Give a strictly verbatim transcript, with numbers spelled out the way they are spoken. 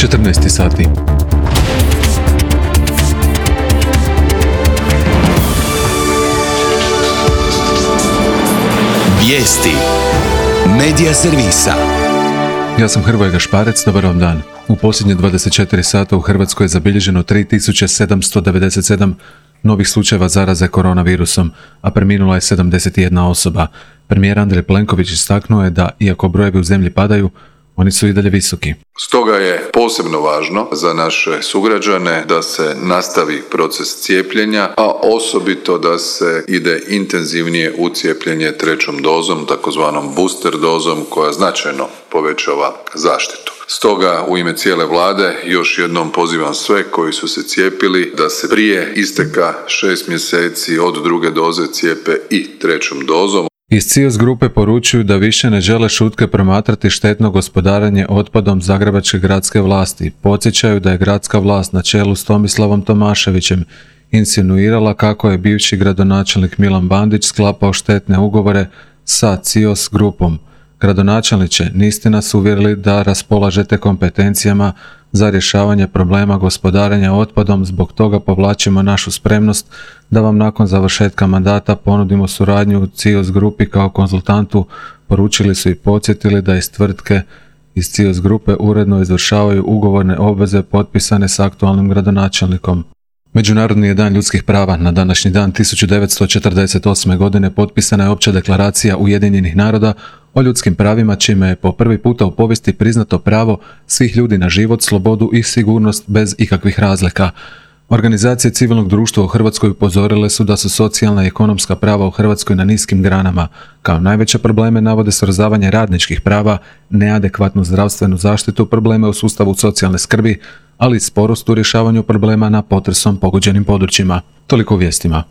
četrnaest sati. Vijesti Medija servisa. Ja sam Hrvoje Gašparec, dobar vam dan. U posljednje dvadeset četiri sata u Hrvatskoj je zabilježeno tri tisuće sedamsto devedeset sedam novih slučajeva zaraze koronavirusom, a preminula je sedamdeset jedna osoba. Premijer Andrej Plenković istaknuo je da, iako brojevi u zemlji padaju, oni su i dalje visoki. Stoga je posebno važno za naše sugrađane da se nastavi proces cijepljenja, a osobito da se ide intenzivnije u cijepljenje trećom dozom, takozvanom booster dozom, koja značajno povećava zaštitu. Stoga u ime cijele vlade još jednom pozivam sve koji su se cijepili da se prije isteka šest mjeseci od druge doze cijepe i trećom dozom. Iz CIOS grupe poručuju da više ne žele šutke promatrati štetno gospodarenje otpadom zagrebačke gradske vlasti. Podsjećaju da je gradska vlast na čelu s Tomislavom Tomaševićem insinuirala kako je bivši gradonačelnik Milan Bandić sklapao štetne ugovore sa CIOS grupom. Gradonačelniče, niste nas uvjerili da raspolažete kompetencijama za rješavanje problema gospodarenja otpadom, zbog toga povlačimo našu spremnost da vam nakon završetka mandata ponudimo suradnju u CIOS grupi kao konzultantu, poručili su i podsjetili da iz tvrtke iz CIOS grupe uredno izvršavaju ugovorne obveze potpisane s aktualnim gradonačelnikom. Međunarodni je dan ljudskih prava. Na današnji dan tisuću devetsto četrdeset osme. godine potpisana je Opća deklaracija Ujedinjenih naroda o ljudskim pravima, čime je po prvi puta u povijesti priznato pravo svih ljudi na život, slobodu i sigurnost bez ikakvih razlika. Organizacije civilnog društva u Hrvatskoj upozorile su da su socijalna i ekonomska prava u Hrvatskoj na niskim granama. Kao najveće probleme navode srozavanje radničkih prava, neadekvatnu zdravstvenu zaštitu, probleme u sustavu socijalne skrbi, ali i sporost u rješavanju problema na potresom pogođenim područjima. Toliko u vijestima.